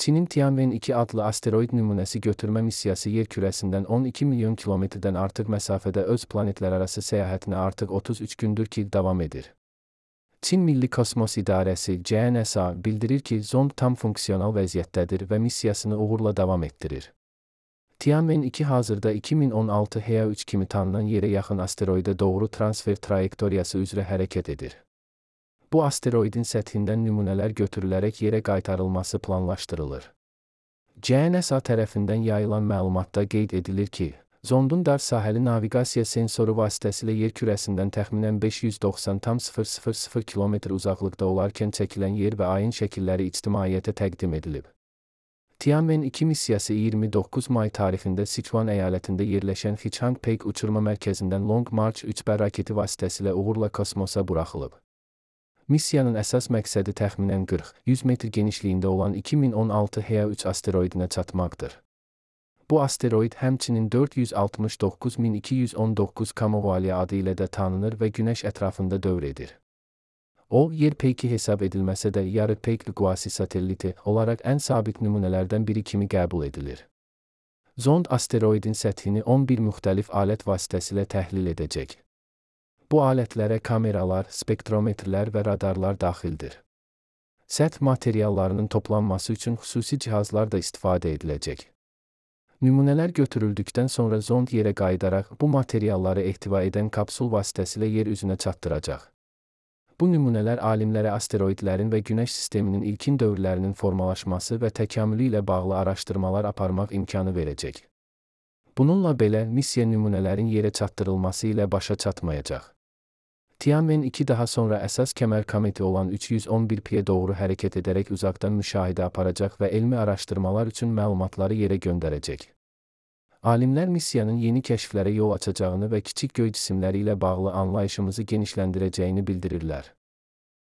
Çinin Tianwen-2 adlı asteroid nümunəsi götürmə missiyası yer kürəsindən 12 milyon kilometrdən artıq məsafədə öz planetlərarası səyahətinə artıq 33 gündür ki, davam edir. Çin Milli Kosmos İdarəsi (CNSA) bildirir ki, zond tam funksional vəziyyətdədir və missiyasını uğurla davam etdirir. Tianwen-2 hazırda 2016 HEA-3 kimi tanınan yerə yaxın asteroidə doğru transfer trayektoriyası üzrə hərəkət edir. Bu asteroidin səthindən nümunələr götürülərək yerə qaytarılması planlaşdırılır. CNSA tərəfindən yayılan məlumatda qeyd edilir ki, zondun dar sahəli naviqasiya sensoru vasitəsilə yer kürəsindən təxminən 590,000 km uzaqlıqda olarkən çəkilən yer və ayın şəkilləri ictimaiyyətə təqdim edilib. Tianwen-2 missiyası 29 may tarixində Sichuan əyalətində yerləşən Xichang-Peik uçurma mərkəzindən Long March 3B raketi vasitəsilə uğurla kosmosa buraxılıb. Missiyanın əsas məqsədi təxminən 40-100 metr genişliyində olan 2016 HEA-3 asteroidinə çatmaqdır. Bu asteroid həmçinin 469.219 Kamovalya adı ilə də tanınır və Günəş ətrafında dövr edir. O, yer peyki hesab edilməsə də yarı peykli quasi satelliti olaraq ən sabit nümunələrdən biri kimi qəbul edilir. Zond asteroidin səthini 11 müxtəlif alət vasitəsilə təhlil edəcək. Bu alətlərə kameralar, spektrometrlər və radarlar daxildir. Səth materiallarının toplanması üçün xüsusi cihazlar da istifadə ediləcək. Nümunələr götürüldükdən sonra zond yerə qayıdaraq bu materialları ehtiva edən kapsul vasitəsilə yer üzünə çatdıracaq. Bu nümunələr alimlərə asteroidlərin və Günəş sisteminin ilkin dövrlərinin formalaşması və təkamülü ilə bağlı araşdırmalar aparmaq imkanı verəcək. Bununla belə, missiya nümunələrin yerə çatdırılması ilə başa çatmayacaq. Tianwen-2 daha sonra əsas kəmər kometi olan 311P-yə doğru hərəkət edərək uzaqdan müşahidə aparacaq və elmi araşdırmalar üçün məlumatları yerə göndərəcək. Alimlər missiyanın yeni kəşflərə yol açacağını və kiçik göy cisimləri ilə bağlı anlayışımızı genişləndirəcəyini bildirirlər.